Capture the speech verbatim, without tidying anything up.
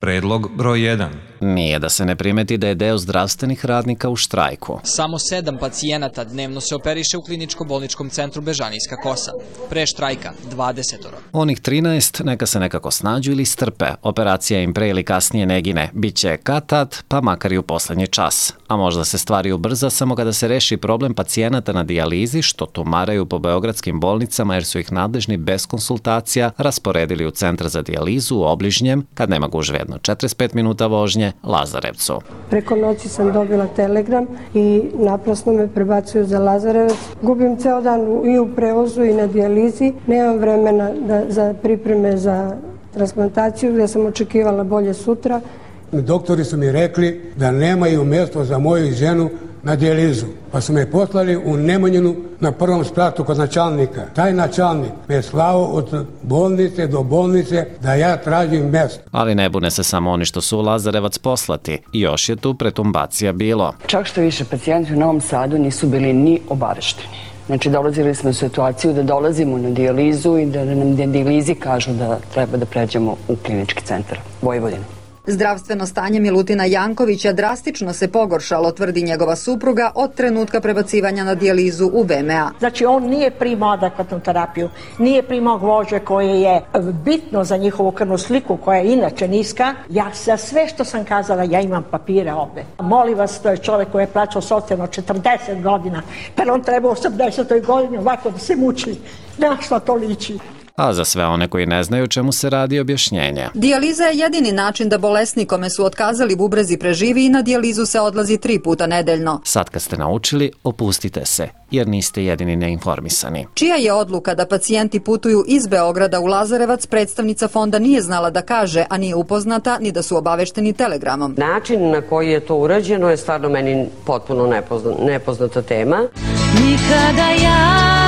Predlog broj jedan. Nije da se ne primeti da je deo zdravstvenih radnika u štrajku. Samo sedam pacijenata dnevno se operiše u kliničko-bolničkom centru Bežanijska Kosa. Pre štrajka dvadesetoro. Onih trinaest neka se nekako snađu ili strpe. Operacija im pre ili kasnije ne gine. Biće kad-tad, pa makar i u poslednji čas. A možda se stvari ubrza samo kada se reši problem pacijenata na dijalizi što tumaraju po beogradskim bolnicama jer su ih nadležni bez konsultacija rasporedili u centar za dijalizu u obližnjem, kad nema gužve jedno četrdeset pet minuta vožnje, Lazarevcu. Preko noći sam dobila telegram i naprasno me prebacuju za Lazarevac. Gubim ceo dan i u prevozu i na dijalizi. Nemam vremena da, za pripreme za transplantaciju gdje sam očekivala bolje sutra. Doktori su mi rekli da nemaju mjesto za moju ženu na dijalizu. Pa su me poslali u Nemanjinu na prvom spratu kod načalnika. Taj načalnik me je slao od bolnice do bolnice da ja tražim mjesto. Ali ne bune se samo oni što su u Lazarevac poslati. Još je tu pretumbacija bilo. Čak što više, pacijenti u Novom Sadu nisu bili ni obavešteni. Znači, dolazili smo u situaciju da dolazimo na dijalizu i da nam dijalizi kažu da treba da pređemo u klinički centar Vojvodine. Zdravstveno stanje Milutina Jankovića drastično se pogoršalo, tvrdi njegova supruga, od trenutka prebacivanja na dijalizu u V M A. Znači, on nije primao adekvatnu terapiju, nije primao gvožđe koje je bitno za njihovu krvnu sliku, koja je inače niska. Ja za sve što sam kazala, ja imam papire ovde. Molim vas, to je čovjek koji je plaćao socijalno četrdeset godina, pa on treba u osamdesetoj godini ovako da se muči. Na što to liči? A za sve one koji ne znaju čemu se radi objašnjenje. Dijaliza je jedini način da bolesnik kome su otkazali bubrezi preživi i na dijalizu se odlazi tri puta nedeljno. Sad kad ste naučili, opustite se, jer niste jedini neinformisani. Čija je odluka da pacijenti putuju iz Beograda u Lazarevac, predstavnica fonda nije znala da kaže, a nije upoznata ni da su obavešteni telegramom. Način na koji je to urađeno je stvarno meni potpuno nepoznata tema. Nikada ja